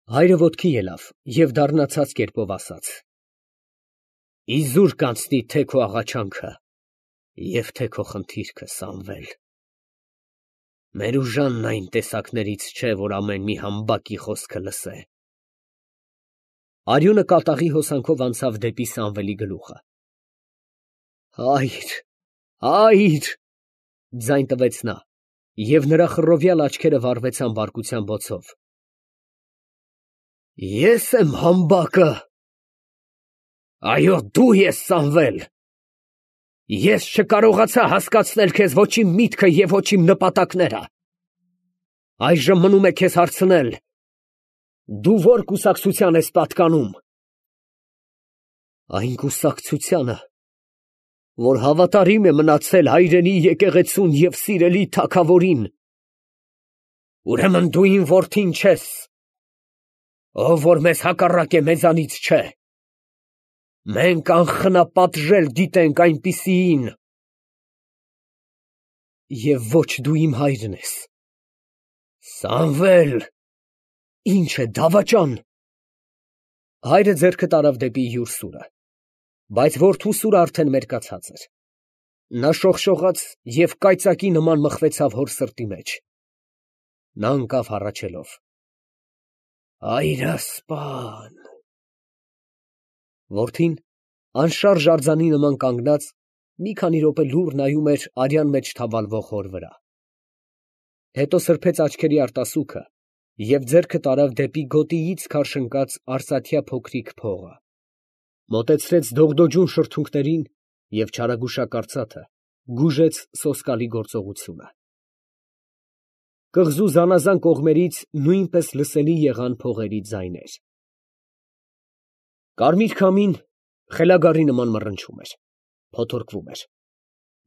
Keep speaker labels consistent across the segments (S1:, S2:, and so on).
S1: Հայրը ոտքի ելավ և դառնացած կերպով ասաց. Իզուր կանցնի թե քո աղաչանքը և թե քո խնդիրքը, Սամվել. Մերուժանն այն տեսակներից չէ, որ ամեն մի համբակի խոսքը լսե։ Արյունը կատաղի հոսանքով անցավ դեպի Սամվելի գլուխը։ Հայր, հայր, ձայն տվեց նա, և նրա խռովյալ աչքերը վառվեցան բարկության բոցով։ Ես եմ համբակը։ Այո, դու ես, Սամվել։ Ես չկարողացա հասկացնել քեզ ոչ իմ միտքը և ոչ իմ նպատակները։ Այժմ մնում է քեզ հարցնել. դու ո՞ր կուսակցության ես պատկանում։ Այն կուսակցությանը, որ հավատարիմ է մնացել հայրենի եկեղեցուն և սիրելի թագավորին։ Ուրեմն դու իմ որդին չես։ Ով որ մեզ հակառակ է, մեզանից չէ։ Մենք անխնապատժել դիտենք այնպիսիին։ Եվ ոչ դու իմ հայրն ես։ Սամվել, ինչ է, դավաճան։ Հայրը ձեռքը տարավ դեպի յուր սուրը, բայց որդու սուրը արդեն մերկացած էր։ Նա շողշողաց և կայծակի նման մխվեցավ հոր սրտի մեջ։ Նա ընկավ հառաչելով. Հայրասպան։ Որդին անշարժ արձանի նման կանգնած, մի քանի րոպե լուռ նայում էր արյան մեջ թավալվող հոր վրա։ Հետո սրբեց աչքերի արտասուքը և ձեռքը տարավ դեպի գոտիից քարշ ընկած արծաթյա փոքրիկ փողը, մոտեցրեց դողդոջուն շրթունքներին և չարագուշակարծաթը գուժեց սոսկալի գործողությունը։ Կղզու զանազան կողմերից նույնպես լսելի եղան փողերի ձայներ։ Կարմիր քամին խելագարի նման մռնչում էր, փոթորկվում էր,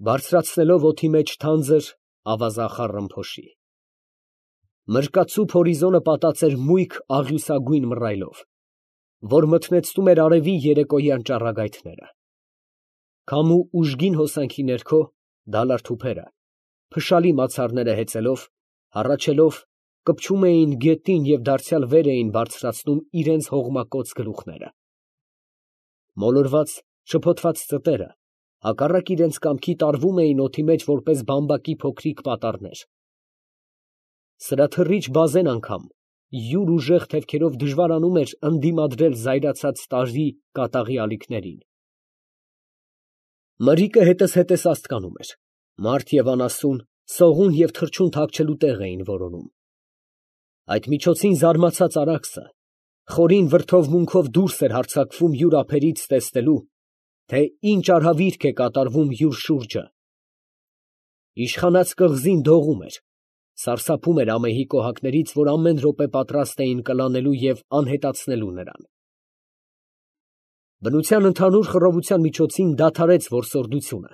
S1: բարձրացնելով օդի մեջ թանձր ավազախառն ռմփոշի։ Մրկացուփ հորիզոնը պատած էր մույկ աղյուսագույն մռայլով, որ մթնեցնում էր արևի երեկոյան ճառագայթները։ Քամու ուժգին հոսանքի ներքո դալար թուփերը, փշալի մացառները հեծելով, հառաչելով, կպչում էին գետին և դարձյալ վեր էին բարձրացնում իրենց հողմակոծ գլուխները։ Մոլորված, շփոթված ծտերը, հակառակ իրենց կամքի տարվում էին օդի մեջ որպես բամբակի փոքրիկ պատառներ։ Սրաթռիչ բազեն անգամ յուր ուժեղ թևքերով դժվարանում էր ընդդիմադրել զայրացած տարի կատաղի ալիքներին։ Մրրիկը հետզհետե սաստկանում էր, մարդ և անասուն, սողուն և թռչուն թաքչելու տեղ էին որոնում։ Այդ միջոցին զարմացած Արաքսը խորին վրդովմունքով դուրս էր հարձակվում յուր ափերից տեսնելու, թե ինչ արհավիրք է կատարվում յուր շուրջը։ Իշխանած կղզին դողում էր, սարսափում էր ամեհի կոհակներից, որ ամեն րոպե պատրաստ էին կլանելու և անհետացնելու նրան։ Բնության ընդհանուր խռովության միջոցին դադարեց որսորդությունը,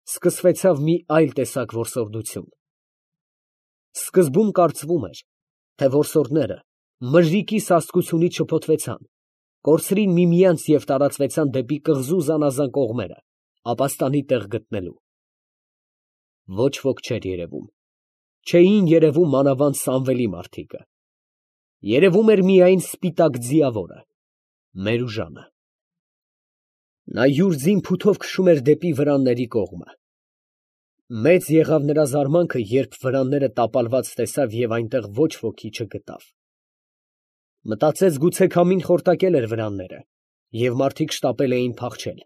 S1: սկսվեցավ մի այլ տեսակ որսորդություն։ Սկզբում կարծվում էր, թե որսորդները մրրիկի սաստկությունից շփոթվեցան, կորցրին միմյանց և տարածվեցան դեպի կղզու զանազան կողմերը, ապաստանի տեղ գտնելու։ Ոչ ոք չէր երևում, չէին երևում մանավանդ Սամվելի մարդիկը։ Երևում էր միայն սպիտակ ձիավորը, Մերուժանը։ Նա յուր ձին փութով քշում էր դեպի վրանների կողմը։ Մեծ եղավ նրա զարմանքը, երբ վրանները տապալված տեսավ և այնտեղ ոչ ոքի չգտավ։ Մտածեց, գուցե քամին խորտակել էր վրանները, և մարդիկ շտապել էին փախչել,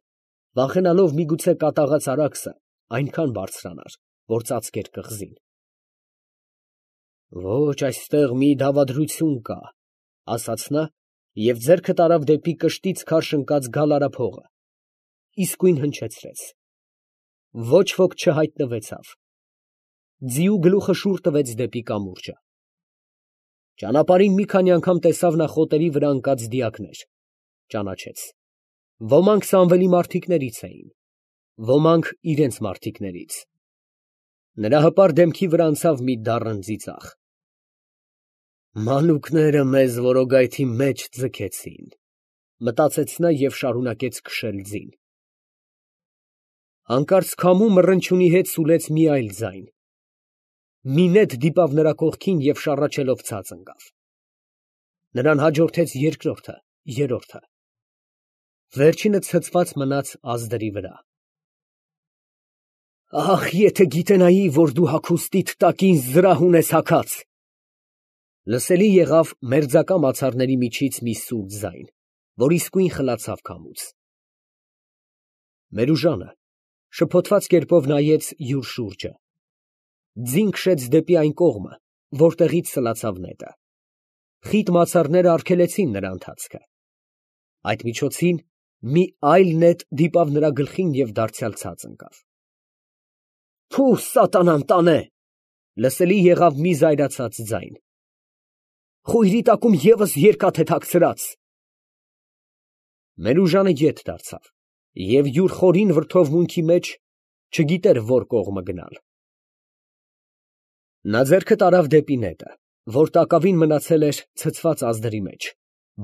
S1: վախենալով միգուցե կատաղած Արաքսը այնքան բարձրանար, որ ծածկեր կղզին։ Ոչ, այստեղ մի դավադրություն կա, ասաց նա և ձեռքը տարավ դեպի կշտից քարշ ընկած գալարափողը, իսկույն հնչեցրեց։ Ոչ ոք չհայտնվեցավ։ Ձիու գլուխը շուռ տվեց դեպի կամուրջը։ Ճանապարհին մի քանի անգամ տեսավ նա խոտերի վրա ընկած դիակներ, ճանաչեց։ Ոմանք Սամվելի մարդիկներից էին, ոմանք իրենց մարդիկներից։ Նրա հպարտ դեմքի վրա անցավ մի դառն ծիծաղ։ Մանուկները մեզ որոգայթի մեջ ձգեցին, մտածեց նա և շարունակեց քշել ձին։ Հանկարծ քամու մռնչյունի հետ սուլեց մի այլ ձայն։ Մի նետ դիպավ նրա կողքին և շառաչելով ցած ընկավ։ Նրան հաջորդեց երկրորդը, երրորդը։ Վերջինը ցցված մնաց ազդրի վրա։ Ախ, եթե գիտենայի, որ դու հագուստիդ տակ ինձ զրահ ունես հագած։ Լսելի եղավ մերձակա մացառների միջից մի սուր ձայն, որ իսկույն խլացավ քամուց։ Մերուժանը շփոթված կերպով նայեց յուր շուրջը։ Ձին քշեց դեպի այն կողմը, որտեղից սլացավ նետը։ Խիտ մացառները արգելեցին նրա ընթացքը։ Այդ միջոցին մի այլ նետ դիպավ նրա գլխին և դարձյալ ցած ընկավ։ Փու, սատանան տանե, լսելի եղավ մի զայրացած ձայն։ Խույրի տակում ևս երկաթ է թաքցրած։ Մերուժանը ետ դարձավ և յուր խորին վրդովմունքի մեջ չգիտեր որ կողմը գնալ։ Նա ձեռքը տարավ դեպի նետը, որ տակավին մնացել էր ցցված ազդրի մեջ,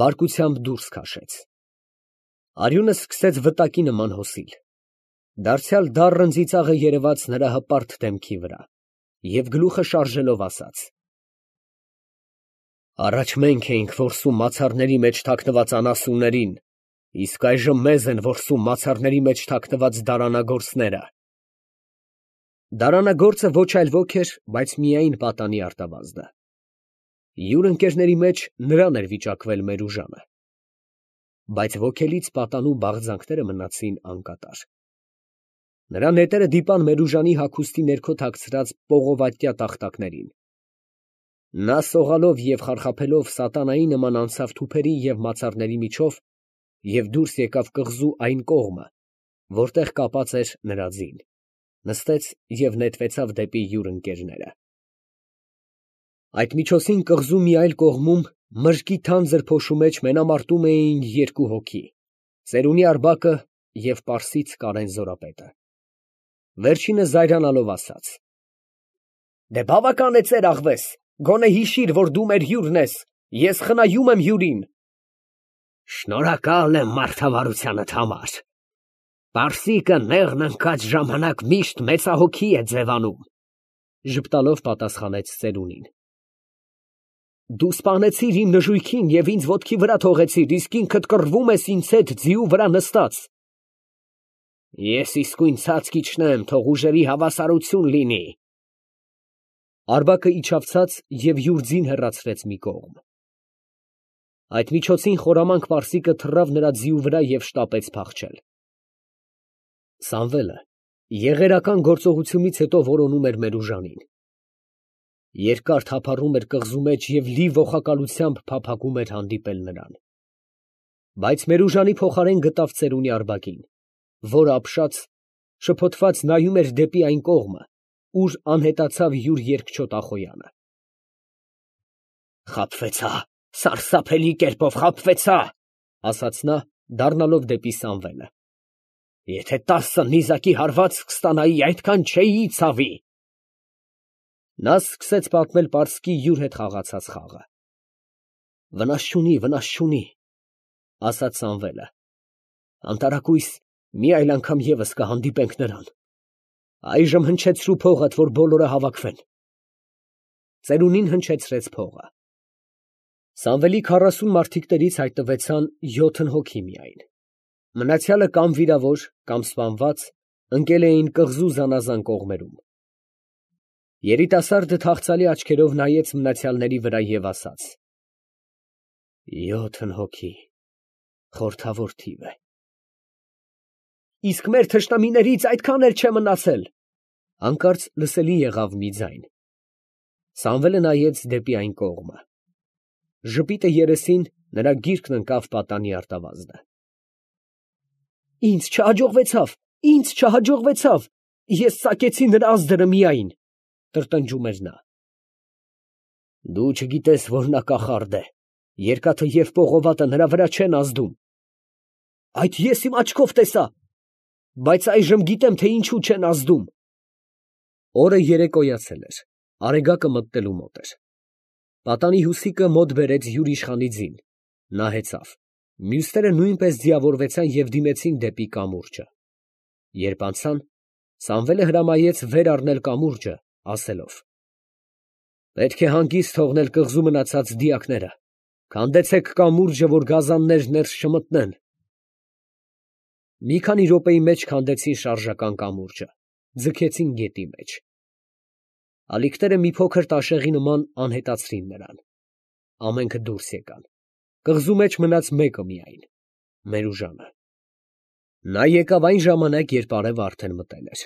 S1: բարկությամբ դուրս քաշեց։ Արյունը սկսեց վտակի նման հոսիլ։ Դարձյալ դառն ծիծաղը երևաց նրա հպարտ դեմքի վրա, և գլուխը շարժելով ասաց. Առաջ մենք էինք որսում մացառների մեջ թաքնված անասուններին, իսկ այժմ մեզ են որսում մացառների մեջ թաքնված դարանագործները։ Դարանագործը ոչ այլ ոք էր, բայց միայն պատանի արտավազդը։ Յուր ընկերների մեջ նրան էր վիճակվել Մերուժանը։ Բայց ոգելից պատանու բաղձանքները մնացին անկատար։ Նրա նետերը դիպան Մերուժանի հագուստի ներքո թաքցրած պողովատյա տախտակներին։ Նա սողալով և խարխափելով սատանայի նման անցավ թուփերի և մացառների միջով և դուրս եկավ կղզու այն կողմը, որտեղ կապած էր նրա ձին, նստեց և նետվեցավ դեպի յուր ընկերները։ Այդ միջոցին կղզու մի այլ կողմում մրրկի թանձր փոշու մեջ մենամարտում էին երկու հոգի, Ծերունի Արբակը և պարսից Կարեն Զորապետը։ Վերջինը զայրանալով ասաց. Դե բավական է ծերաղվես, գոնե հիշիր, որ դու մեր հյուրն ես, ես խնայում եմ հյուրին։ Շնորհակալ եմ մարդավարությանդ համար։ Պարսիկը նեղն ընկած ժամանակ միշտ մեծահոգի է ձևանում, ժպտալով պատասխանեց ծերունին։ Դու սպանեցիր իմ նժույգին և ինձ ոտքի վրա թողեցիր, իսկ ինքդ կռվում ես ինձ հետ ձիու վրա նստած։ Ես իսկույն ցած կիջնեմ, թող ուժերի հավասարություն լինի։ Արբակը իջավ ցած և յուր ձին հեռացրեց մի կողմ։ Այդ միջոցին խորամանկ պարսիկը թռավ նրա ձիու վրա և շտապեց փախչել։ Սամվելը եղերական գործողությունից հետո որոնում էր Մերուժանին։ Երկար թափառում էր կղզու մեջ և լի ոխակալությամբ փափագում էր հանդիպել նրան։ Բայց Մերուժանի փոխարեն գտավ ծերունի Արբակին, որը ապշած, շփոթված նայում էր դեպի այն կողմը, ուր անհետացավ յուր երկչոտ Ախոյանը։ Խաբվեցա, սարսափելի կերպով խաբվեցա, ասաց նա, դառնալով դեպի Սամվելը։ Եթե 10 նիզակի հարված կստանայի, այդքան չէի ցավի։ Նա սկսեց պատմել պարսկի յուր հետ խաղացած խաղը։ Վնաս չունի, ասաց Սամվելը։ Անտարակույս մի այլ անգամ ևս կհանդիպենք նրան։ Այժմ հնչեցրու փողդ, որ բոլորը հավաքվեն։ Ծերունին հնչեցրեց փողը։ Սամվելի 40 մարդիկներից հայտնվեցան 7 հոգի միայն։ Մնացյալը կամ վիրավոր, կամ սպանված, ընկել էին կղզու զանազան կողմերում։ Երիտասարդը թախծալի աչքերով նայեց մնացյալների վրա և ասաց. 7 հոգի, խորթավոր թիվ է։ Իսկ մեր թշնամիներից այդքան էլ չէ մնացել։ Հանկարծ լսելի եղավ մի ձայն։ Սամվելը նայեց դեպի այն կողմը։ Ժպիտը երեսին նրա գիրկն ընկավ պատանի արտավազդը։ Ինձ չհաջողվեցավ, ես ծակեցի նրա ազդրը միայն, տրտնջում էր նա։ Դու չգիտես, որ նա կախարդ է, երկաթը և պողովատը նրա վրա չեն ազդում։ Այդ ես իմ աչքով տեսա, բայց այժմ գիտեմ, թե ինչու չեն ազդում։ Օրը երեկոյացել էր, արեգակը մտնելու մոտ էր։ Պատանի հյուսիկը մոտ բերեց յուր իշխանի ձին, նա հեծավ, մյուսները նույնպես ձիավորվեցան և դիմեցին դեպի կամուրջը։ Երբ անցան, Սամվելը հրամայեց վեր առնել կամուրջը, ասելով. Պետք է հանգիստ թողնել կղզու մնացած դիակները, Քանդեցեք կամուրջը, որ գազաններ ներս չմտնեն։ Մի քանի րոպեի մեջ քանդեցին շարժական կամուրջը, ձգեցին գետի մեջ։ Ալիքները մի փոքր տաշեղի նման անհետացրին նրան։ Ամենքը դուրս եկան։ Կղզու մեջ մնաց մեկը միայն, Մերուժանը։ Նա եկավ այն ժամանակ, երբ արևը արդեն մտել էր։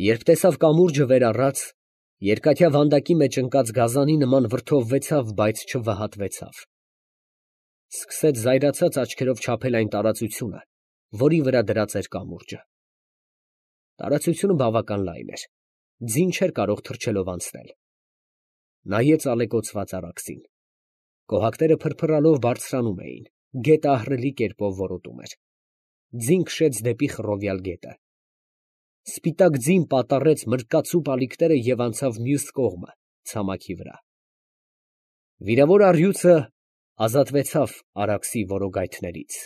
S1: Երբ տեսավ կամուրջը վեր առած, երկաթյա վանդակի մեջ ընկած գազանի նման վրդովվեցավ, բայց չվհատվեցավ։ Սկսեց զայրացած աչքերով չափել այն տարածությունը, որի վրա դրած էր կամուրջը։ Տարածությունը բավական լայն էր, ձին չէր կարող թռչելով անցնել։ Նայեց ալեկոծված առակսին։ Կոհակները փրփրալով բարձրանում էին, գետը ահռելի կերպով որոտում էր։ Ձին քշեց դեպի խռովյալ գետը։ Սպիտակ ձին պատառեց մրկացուպ ալիքները և անցավ մյուս կողմը, ցամաքի վրա։ Վիրավոր առյուծը ազատվեցավ առակսի որոգայթներից։